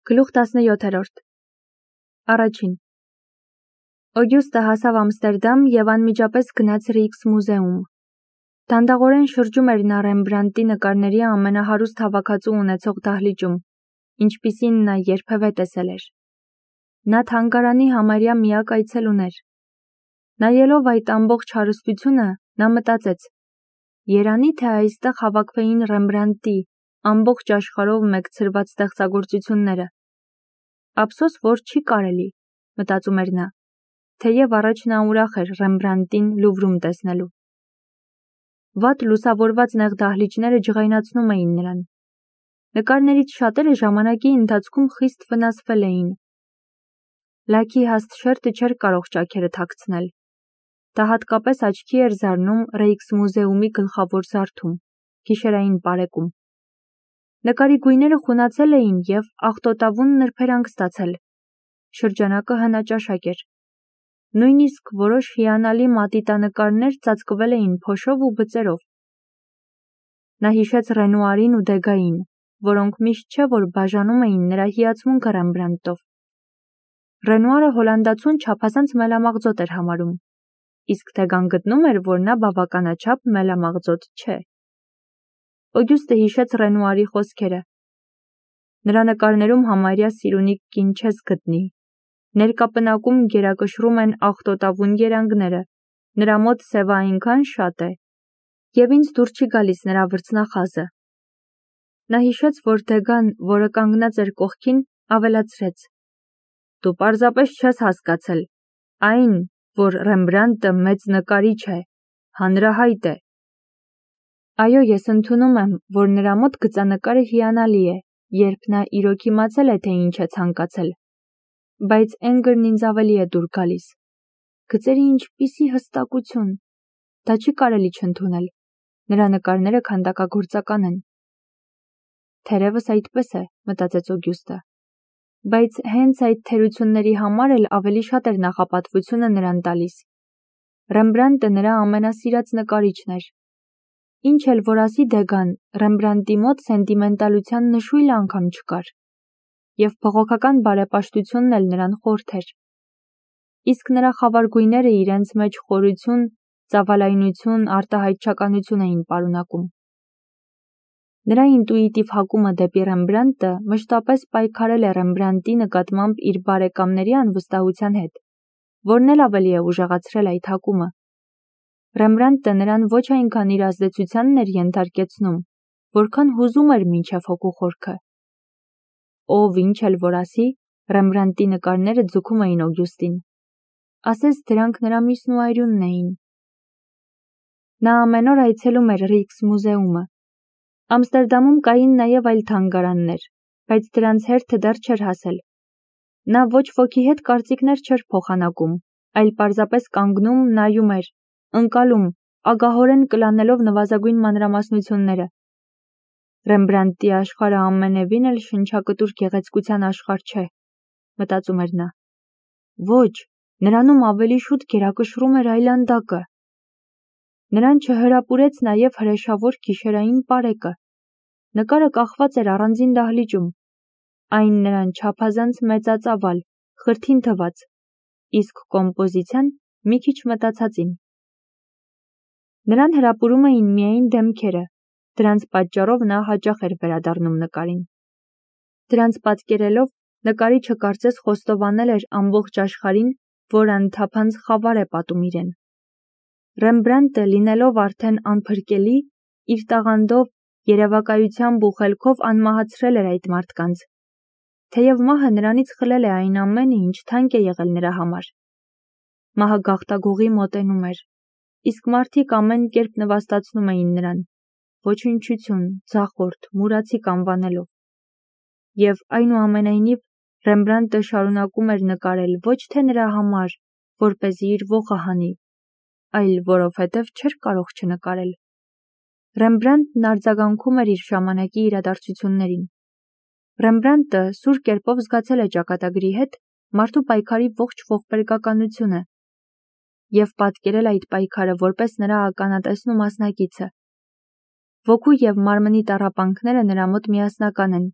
Գլուխ 17 Առաջին Օգյուստը հասավ Ամստերդամ և անմիջապես գնաց Ռիքսմուզեում։ Դանդաղորեն շրջում էր նա Ռեմբրանդտի նկարների ամենահարուստ հավաքածու ունեցող դահլիճում, ինչպիսին նա երբևէ տեսել էր։ Նա թանգարանի համարյա միակ այցելուն էր։ Նայելով այդ ամբողջ հարստությունը, նա մտածեց. երանի թե այստեղ հավաքվեին Ռեմբրանդտի ամբողջ աշխարհով մեկցրված ստեղծագործությունները։ Ափսոս, որ չի կարելի, մտածում էր նա, թեև առաջ նա ուրախ էր Ռեմբրանդտին Լուվրում տեսնելու։ Վատ լուսավորված նեղ դահլիճները ջղայնացնում էին նրան։ Նկարներից շատերը ժամանակի ընթացքում խիստ վնասվել էին։ Լաքի հաստ շերտը չէր կարող ճաքերը թաքցնել։ Դա հատկապես աչքի էր զարնում Ռեյքսմուզեումի գլխավոր զարդում, գիշերային պարեկում։ Նկարի գույները խունացել էին և աղտոտավուն նրբերանգ ստացել։ Շրջանակը հնաճաշակ էր։ Նույնիսկ որոշ հիանալի մատիտանկարներ ծածկվել էին փոշով ու բծերով։ Նա հիշեց Ռենուարին ու Դեգային, որոնք միշտ չէ որ բաժանում էին նրա հիացմունքը Ռեմբրանդտով։ Ռենուարը հոլանդացուն չափազանց մելամաղձոտ էր համարում, իսկ Դեգան գտնում էր, որ նա բավականաչափ մելամաղձոտ չէ։ Օգյուստը հիշեց Ռենուարի խոսքերը. նրա նկարներում համարյա սիրունիկ կին չես գտնի։ Ներկա պնակում գերակշռում են աղտոտավուն երանգները, նրա մոտ սևը այնքան շատ է, և ինձ դուր չի գալիս նրա վրձնախազը։ Նա հիշեց, որ Դեգան, որը կանգնած էր կողքին, ավելացրեց. դու պարզապես չես հասկացել, այն, որ Ռեմբրանդտը մեծ նկարիչ է, հանրահայտ է։ Այո, ես ընդունում եմ, որ նրա մոտ գծանկարը հիանալի է, երբ նա իրոք իմացել է, թե ինչ է ցանկացել։ Բայց Էնգրն ինձ ավելի է դուր գալիս։ Գծերի ինչպիսի հստակություն։ Դա չի կարելի չընդունել։ Նրա նկարները քանդակագործական են։ Թերևս այդպես է, մտածեց Օգյուստը։ Բայց հենց այդ թերությունների համար էլ ավելի շատ էր նախապատվությունը նրան տալիս։ Ռեմբրանդտը նրա ամենասիրած նկարիչն էր։ Ինչ էլ որ ասի Դեգան, Ռեմբրանդտի մոտ սենտիմենտալության նշույլ անգամ չկար։ Եվ բողոքական բարեպաշտությունն էլ նրան խորթ էր։ Իսկ նրա խավար գույները իրենց մեջ խորություն, ծավալայնություն, արտահայտչականություն էին պարունակում։ Նրա ինտուիտիվ հակումը դեպի Ռեմբրանդտը մշտապես պայքարել է Ռեմբրանդտի նկատմամբ իր բարեկամների անվստահության հետ, որն էլ ավելի է ուժեղացրել այդ հակումը։ Ռեմբրանդտը նրան ոչ այնքան իր ազդեցությանն էր ենթարկեցնում, որքան հուզում էր մինչև հոգու խորքը։ Ով ինչ էլ որ ասի, Ռեմբրանդտի նկարները ձգում էին Օգյուստին։ Ասես դրանք նրա միսն ու այրունն էին։ Նա ամեն օր այցելում էր Ռիքսմուզեումը։ Ամստերդամում կային նաև այլ թանգարաններ, բայց դրանց հերթը դեռ չէր հասել։ Նա ոչ ոքի հետ կարծիքներ չէր փոխանակում, այլ պարզապես կանգնում, նայում էր, ընկալում, ագահորեն կլանելով նվազագույն մանրամասնությունները։ Ռեմբրանդտի աշխարհը ամենևին էլ շնչակտուր գեղեցկության աշխարհ չէ, մտածում էր նա։ Ոչ, նրանում ավելի շուտ գերակշռում էր այլանդակը։ Նրան չհրապուրեց նաև հրեշավոր գիշերային պարեկը։ Նկարը կախված էր առանձին դահլիճում։ Այն նրան չափազանց մեծածավալ, խրթին թվաց, իսկ կոմպոզիցիան մի քիչ մտածածին։ Նրան հրապուրում էին միայն դեմքերը, դրանց պատճառով նա հաճախ էր վերադառնում նկարին։ Դրանց պատկերելով նկարիչը կարծես խոստովանել էր ամբողջ աշխարհին, որ անթափանց խավար է պատում իրեն։ Ռեմբրանդտը լինելով արդեն անփրկելի, իր տաղանդով, երևակայությամբ ու խելքով անմահացրել էր այդ մարդկանց։ Թեև մահը նրանից խլել է այն ամենը, ինչ թանկ է եղել նրա համար։ Մահը գաղտագողի մոտենում էր, իսկ մարդիկ ամեն կերպ նվաստացնում էին նրան, ոչնչություն, ձախորդ, մուրացիկ անվանելով։ Եվ այնուամենայնիվ Ռեմբրանդտը շարունակում էր նկարել ոչ թե նրա համար, որպեսզի իր ոխը հանի, այլ որովհետև չէր կարող չնկարել։ Ռեմբրանդտն արձագանքում էր իր ժամանակի իրադարձություններին։ Ռեմբրանդտը սուր կերպով զգացել է ճակատագրի հետ մարդու պայքարի ողջ ողբերգականությունը և պատկերել այդ պայքարը որպես նրա ականատեսն ու մասնակիցը։ Ոգու և մարմնի տառապանքները նրա մոտ միասնական են։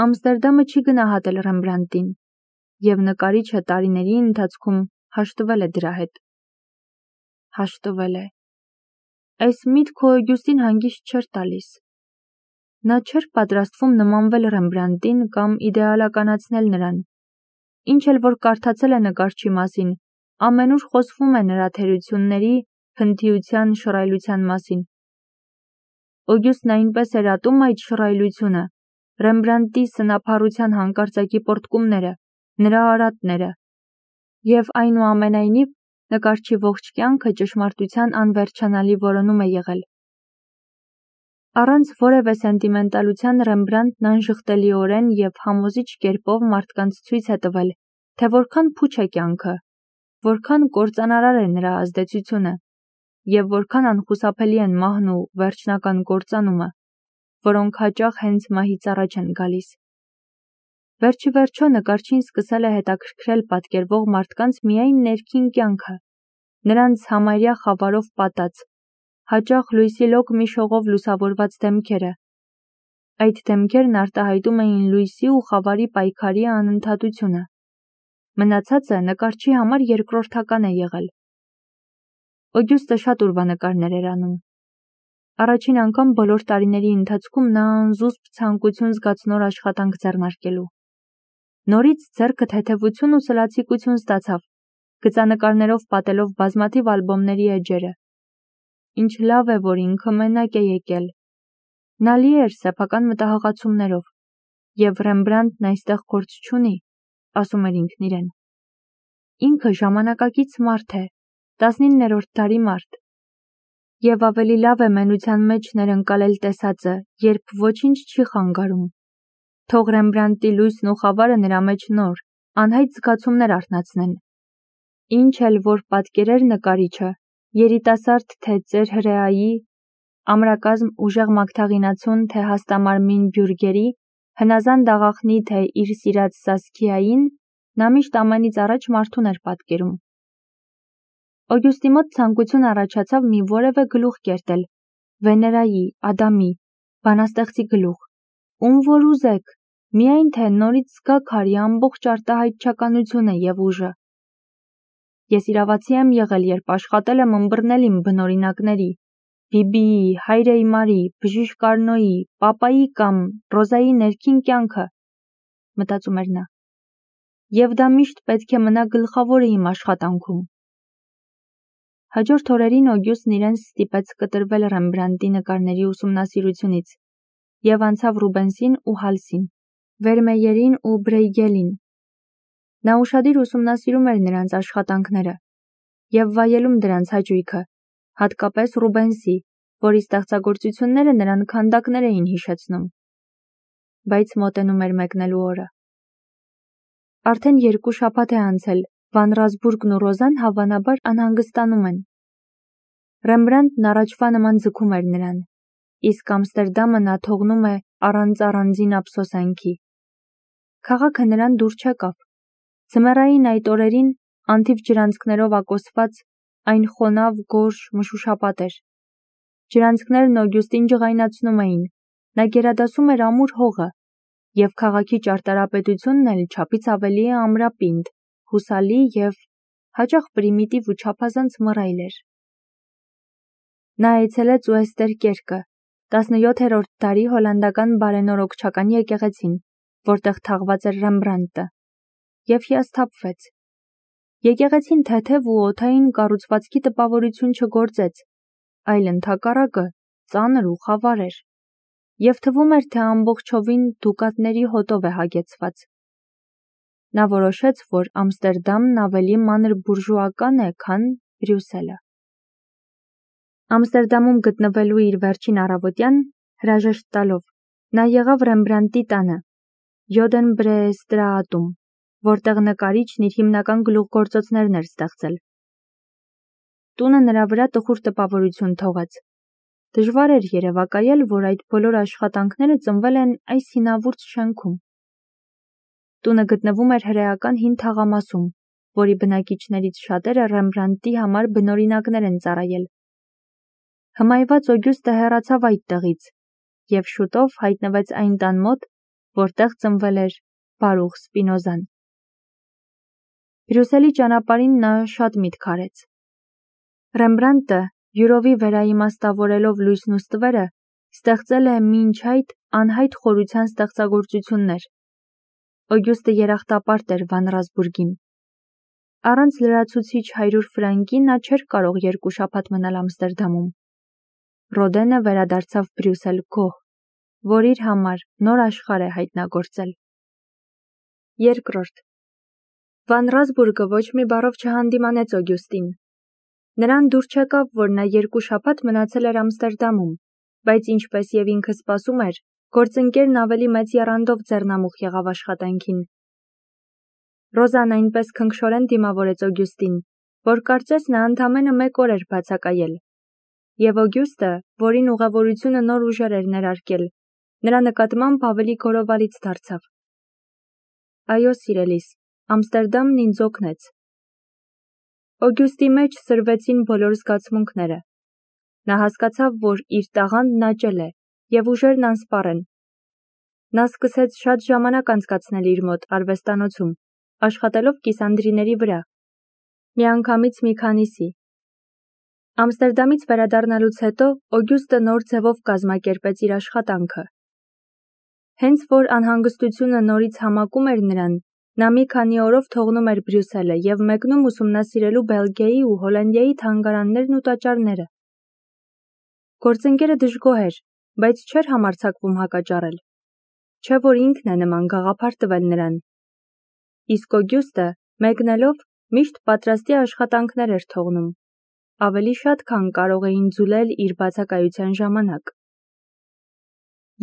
Ամստերդամը չի գնահատել Ռեմբրանդտին, և նկարիչը տարիների ընթացքում հաշտվել է դրա հետ։ Հաշտվել է։ Այս միտքը Օգյուստին հանգիստ չէր տալիս։ Նա չէր պատրաստվում նմանվել Ռեմբրանդտին կամ իդեալականացնել նրան։ Ինչ էլ որ կարդացել է նկարչի մասին, ամենուր խոսվում է նրա թերությունների, փնթիության, շռայլության մասին։ Օգյուստն այնպես էր ատում այդ շռայլությունը, Ռեմբրանդտի սնափառության հանկարծակի պոռթկումները, նրա արատները, և այնուամենայնիվ նկարչի ողջ կյանքը ճշմարտության անվերջանալի որոնում է եղել։ Առանց որևէ սենտիմենտալության Ռեմբրանդտն անժխտելիորեն և համոզիչ կերպով մարդկանց ցույց է տվել, թե որքան փուչ է կյանքը, որքան կործանարար է նրա ազդեցությունը, և որքան անխուսափելի են մահն ու վերջնական կործանումը, որոնք հաճախ հենց մահից առաջ են գալիս։ Վերջիվերջո նկարչին սկսել է հետաքրքրել պատկերվող մարդկանց միայն ներքին կյանքը, նրանց համարյա խավարով պատած, հաճախ լույսի լոկ մի շողով լուսավորված դեմքերը։ Այդ դեմքերն արտահայտում էին լույսի ու խավարի պայքարի անընդհատությունը։ Մնացածը նկարչի համար երկրորդական է եղել։ Օգյուստը շատ ուրվանկարներ էր անում։ Առաջին անգամ բոլոր տարիների ընթացքում նա անզուսպ ցանկություն զգաց նոր աշխատանք ձեռնարկելու։ Նորից ձեռքը թեթևություն ու սլացիկություն ստացավ, գծանկարներով պատելով բազմաթիվ ալբոմների էջերը։ Ինչ լավ է, որ ինքը մենակ է եկել։ Նա լի էր սեփական մտահղացումներով, և Ռեմբրանդտն այստեղ գործ չունի, ասում էր ինքն իրեն։ Ինքը ժամանակակից մարդ է, 19-րդ դարի մարդ, և ավելի լավ է մենության մեջ ներընկալել տեսածը, երբ ոչինչ չի խանգարում։ Թող Ռեմբրանդտի լույսն ու խավարը նրա մեջ նոր, անհայտ զգացումներ արթնացնեն։ Ինչ էլ որ պատկերեր նկարիչը, երիտասարդ թե ծեր հրեայի, ամրակազմ ուժեղ մագթաղինացուն թե հաստամարմին բյուրգերի, հնազանդ աղախնի թե իր սիրած Սասքիային, նա միշտ ամենից առաջ մարդուն էր պատկերում։ Օգյուստի մոտ ցանկություն առաջացավ մի որևէ գլուխ կերտել, Վեներայի, Ադամի, բանաստեղծի գլուխ, ում որ ուզեք, միայն թե նորից զգա քարի ամբողջ արտահայտչականությունը և ուժը։ Ես իրավացի եմ եղել, երբ աշխատել եմ ըմբռնել իմ բնօրինակների, Բիբիի, Հայրեի Մարի, Բժիշկ Արնոյի, Պապայի կամ Ռոզայի ներքին կյանքը, մտածում էր նա, և դա միշտ պետք է մնա գլխավորը իմ աշխատանքում։ Հաջորդ օրերին Օգյուստն իրեն ստիպեց կտրվել Ռեմբրանդտի նկարների ուսումնասիրությունից և անցավ Ռուբենսին ու Հալսին, Վերմեյերին ու Բրեյգելին։ Նա ուշադիր ուսումնասիրում էր նրանց աշխատանքները և վայելում դրանց հաճույքը, հատկապես Ռուբենսի, որի ստեղծագործությունները նրան քանդակներ էին հիշեցնում։ Բայց մոտենում էր մեկնելու օրը։ Արդեն 2 շաբաթ է անցել, Վան Ռասբուրգն ու Ռոզան հավանաբար անհանգստանում են։ Ռեմբրանդտն առաջվա նման ձգում էր նրան, իսկ Ամստերդամը նա թողնում է առանց առանձին ափսոսանքի։ Քաղաքը նրան դուր չեկավ։ Ձմեռային այդ օրերին, անթիվ ջրանցքներով ակոսված, այն խոնավ, գորշ, մշուշապատ էր։ Ջրանցքներն Օգյուստին ջղայնացնում էին, նա գերադասում էր ամուր հողը, և քաղաքի ճարտարապետությունն էլ չափից ավելի ամրապինդ, հուսալի և հաճախ պրիմիտիվ ու չափազանց մռայլ էր։ Նա այցելեց Ուեստերկերկը, 17-րդ դարի հոլանդական բարենորոգչական եկեղեցին, որտեղ թաղված էր Ռեմբրանդտը, և հիասթափվեց։ Եկեղեցին թեթև ու օդային կառուցվածքի տպավորություն չգործեց, այլ ընդհակառակը ծանր ու խավար էր, և թվում էր, թե ամբողջովին դուկատների հոտով է հագեցված։ Նա որոշեց, որ Ամստերդամն ավելի մանր բուրժուական է, քան Բրյուսելը։ Ամստերդամում գտնվելու իր վերջին առավոտյան, հրաժեշտ տալով, նա եղավ Ռեմբրանդտի տանը, Յոդենբրեեստրաատում, որտեղ նկարիչն իր հիմնական գլուխգործոցներն էր ստեղծել։ Տունը նրա վրա տխուր տպավորություն թողեց։ Դժվար էր երևակայել, որ այդ բոլոր աշխատանքները ծնվել են այս հինավուրց շենքում։ Տունը գտնվում էր հրեական հին թաղամասում, որի բնակիչներից շատերը Ռեմբրանդտի համար բնօրինակներ են ծառայել։ Հմայված Օգյուստը հեռացավ այդ տեղից և շուտով հայտնվեց այն տան մոտ, որտեղ ծնվել էր Բարուխ Սպինոզան։ Բրյուսելի ճանապարհին նա շատ միտք արեց։ Ռեմբրանտը, յուրովի վերաիմաստավորելով լույսն ու ստվերը, ստեղծել է մինչ այդ անհայտ խորության ստեղծագործություններ։ Օգյուստը երախտապարտ էր Վան Ռասբուրգին։ Առանց լրացուցիչ 100 ֆրանկի նա չէր կարող 2 շաբաթ մնալ Ամստերդամում։ Ռոդենը վերադարձավ Բրյուսել գոհ, որ իր համար նոր աշխարհ է հայտնագործել։ Երկրորդ Վան Ռասբուրգը ոչ մի բառով չհանդիմանեց Օգյուստին։ Նրան դուր չեկավ, որ նա 2 շաբաթ մնացել էր Ամստերդամում, բայց ինչպես եւ ինքը սպասում էր, գործընկերն ավելի մեծ եռանդով ձեռնամուխ եղավ աշխատանքին։ Ռոզան այնպես քնքշորեն դիմավորեց Օգյուստին, որ կարծես նա ընդամենը 1 օր էր բացակայել։ Եվ Օգյուստը, որին ուղևորությունը նոր ուժեր էր ներարկել, նրա նկատմամբ ավելի գորովալից դարձավ։ Այո, սիրելիս, Ամստերդամն ինձ օգնեց։ Օգյուստի մեջ սրվեցին բոլոր զգացմունքները։ Նա հասկացավ, որ իր տաղանդն աճել է եւ ուժերն անսպառ են։ Նա սկսեց շատ ժամանակ անցկացնել իր մոտ արվեստանոցում, աշխատելով կիսանդրիների վրա, միանգամից մի քանիսի։ Ամստերդամից վերադառնալուց հետո Օգյուստը նոր ձևով կազմակերպեց իր աշխատանքը։ Հենց որ անհանգստությունը նորից համակում էր նրան, նա մի քանի օրով թողնում էր Բրյուսելը եւ մեկնում ուսումնասիրելու Բելգիայի ու Հոլանդիայի թանգարաններն ու տաճարները։ Գործընկերը դժգոհ էր, բայց չէր համարձակվում հակաճառել։ Չէ որ ինքն է նման գաղափար տվել նրան։ Իսկ Օգյուստը, մեկնելով, միշտ պատրաստի աշխատանքներ էր թողնում, ավելի շատ, քան կարող էին ձուլել իր բացակայության ժամանակ։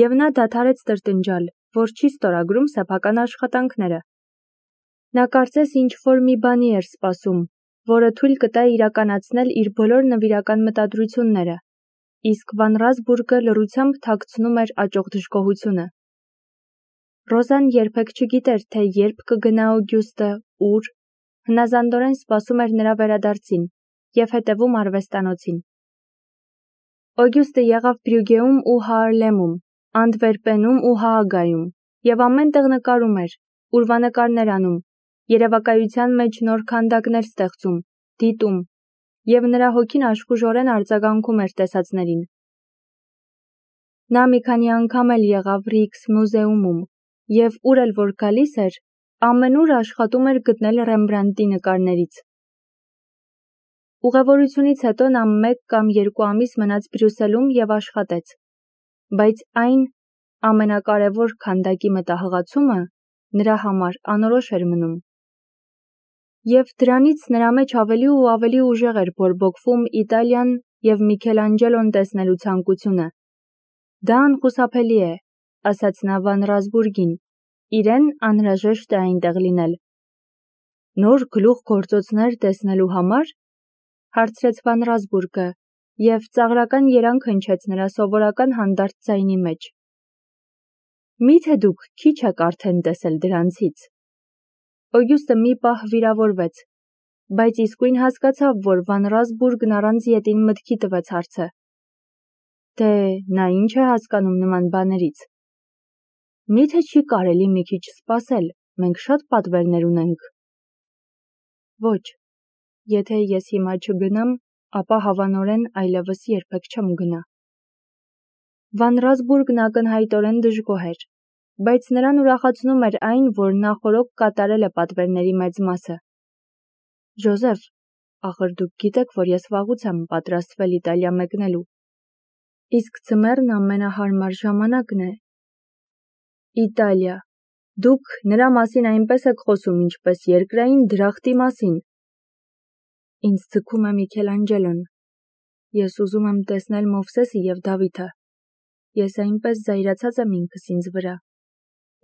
Եվ նա դադարեց տրտնջալ, որ չի ստորագրում սեփական աշխատանքները։ Նա կարծես ինչ-որ մի բանի էր սպասում, որը թույլ կտա իրականացնել իր բոլոր նվիրական մտադրությունները, իսկ Վան Ռասբուրգը լռությամբ թաքցնում էր աճող դժգոհությունը։ Ռոզան երբեք չգիտեր, թե երբ կգնա Օգյուստը, ուր, հնազանդորեն սպասում էր նրա վերադարձին եւ հետևում արվեստանոցին։ Օգյուստը եղավ Բրյուգեում ու Հաարլեմում, Անդվերպենում ու Հաագայում եւ ամենտեղ նկարում էր, ուրվանկարներ անում, երևակայության մեջ նոր քանդակներ ստեղծում, դիտում, եւ նրա հոգին աշխուժորեն արձագանքում էր տեսածներին։ Նա մի քանի անգամ էլ եղավ Ռիքս մուզեումում եւ ուր էլ որ գալիս էր, ամենուր աշխատում էր գտնել Ռեմբրանտի նկարներից։ Ուղևորությունից հետո նա 1 կամ 2 ամիս մնաց Բրյուսելում եւ աշխատեց, բայց այն ամենակարևոր քանդակի մտահղացումը նրա համար անորոշ էր մնում։ Եվ դրանից նրա մեջ ավելի ու ավելի ուժեղ էր բորբոքվում Իտալիան եւ Միքելանջելոն տեսնելու ցանկությունը։ Դա անխուսափելի է, ասաց նա Վան Ռասբուրգին, իրեն անհրաժեշտ է այնտեղ լինել։ Նոր գլուխգործոցներ տեսնելու համար, հարցրեց Վան Ռասբուրգը եւ ծաղրական երանգ հնչեց նրա սովորական հանդարտ ձայնի մեջ։ Միթե դուք քիչ եք արդեն տեսել դրանցից։ Օգյուստը մի պահ վիրավորվեց, բայց իսկույն հասկացավ, որ Վան Ռասբուրգն առանց ետին մտքի տվեց հարցը։ Դե, նա ինչ է հասկանում նման բաներից։ Միթե չի կարելի մի քիչ սպասել, մենք շատ պատվերներ ունենք։ Ոչ, եթե ես հիմա չգնամ, ապա հավանորեն այլևս երբեք չեմ գնա։ Վան Ռասբուրգն ակնհայտորեն դժգոհ էր, բայց նրան ուրախացնում էր այն, որ նախօրոք կատարել է պատվերների մեծ մասը։ Ջոզեֆ, ախր դուք գիտեք, որ ես վաղուց եմ պատրաստվել Իտալիա մեկնելու։ Իսկ ձմեռն ամենահարմար ժամանակն է։ Իտալիա, դուք նրա մասին այնպես եք խոսում, ինչպես երկրային դրախտի մասին։ Ինձ ձգում է Միքելանջելոն։ Ես ուզում եմ տեսնել Մովսեսը եւ Դավիթը։ Ես այնպես զայրացած եմ ինքս ինձ վրա։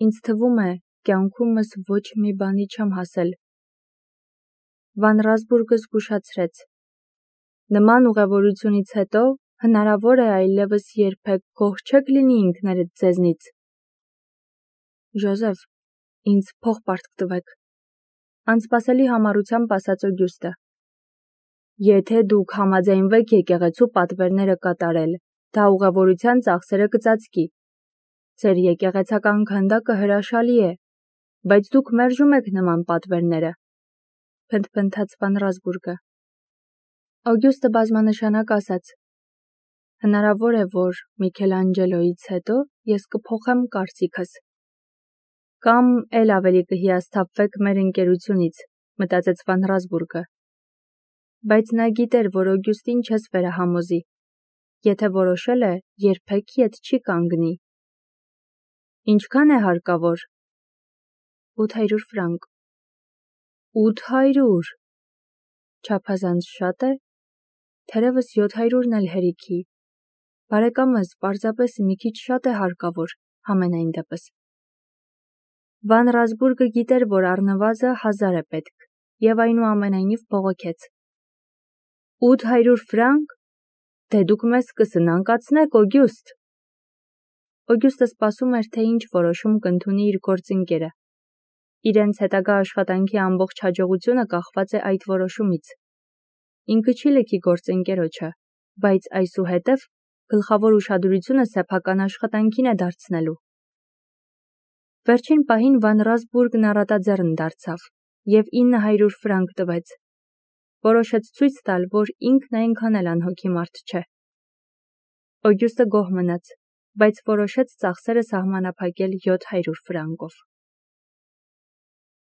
Ինձ թվում է, կյանքումս ոչ մի բանի չեմ հասել։ Վան Ռասբուրգը զգուշացրեց։ Նման ուղևորությունից հետո հնարավոր է այլևս երբեք գոհ չեք լինի ինքներդ ձեզնից։ Ջոզեֆ, ինձ փող պարտք տվեք, անսպասելի համառությամբ ասաց Օգյուստը։ Եթե դուք համաձայնվեք եկեղեցու պատվերները կատարել, դա ուղևորության ծախսերը կծածկի։ Ձեր եկեղեցական քանդակը հրաշալի է, բայց դուք մերժում եք նման պատվերները, փնթփնթաց Վան Ռազբուրգը։ Օգյուստը բազմանշանակ ասաց. Հնարավոր է, որ Միքելանջելոյից հետո ես կփոխեմ կարծիքս։ Կամ էլ ավելի կհիասթափվեք մեր ընկերությունից, մտածեց Վան Ռազբուրգը։ Բայց նա գիտեր, որ Օգյուստին չես վերահամոզի։ Եթե որոշել է, երբեք ետ չի կանգնի։ Ինչքան է հարկավոր։ 800 ֆրանկ։ 800։ Չափազանց շատ է։ Թերևս 700-ն էլ հերիքի։ Բարեկամս, պարզապես մի քիչ շատ է հարկավոր, համենայն դեպս։ Վան Ռազբուրգը գիտեր, որ առնվազը 1000 է պետք, և այնուամենայնիվ բողոքեց։ 800 ֆրանկ։ Դե դուք մեզ կսնանկացնեք, Օգյուստ։ Օգյուստը սպասում էր, թե ինչ որոշում կընդունի իր գործընկերը։ Իրենց հետագա աշխատանքի ամբողջ հաջողությունը կախված է այդ որոշումից։ Ինքը չի լքի գործընկերոջը, բայց այսուհետև գլխավոր ուշադրությունը սեփական աշխատանքին է դարձնելու։ Վերջին պահին Վան Ռազբուրգն առատաձեռն դարձավ և 900 ֆրանկ տվեց։ Որոշեց ցույց տալ, որ ինքն այնքան էլ անհոգի մարդ չէ։ Օգյուստը գոհ մնաց, բայց որոշեց ծախսերը սահմանափակել 700 ֆրանկով։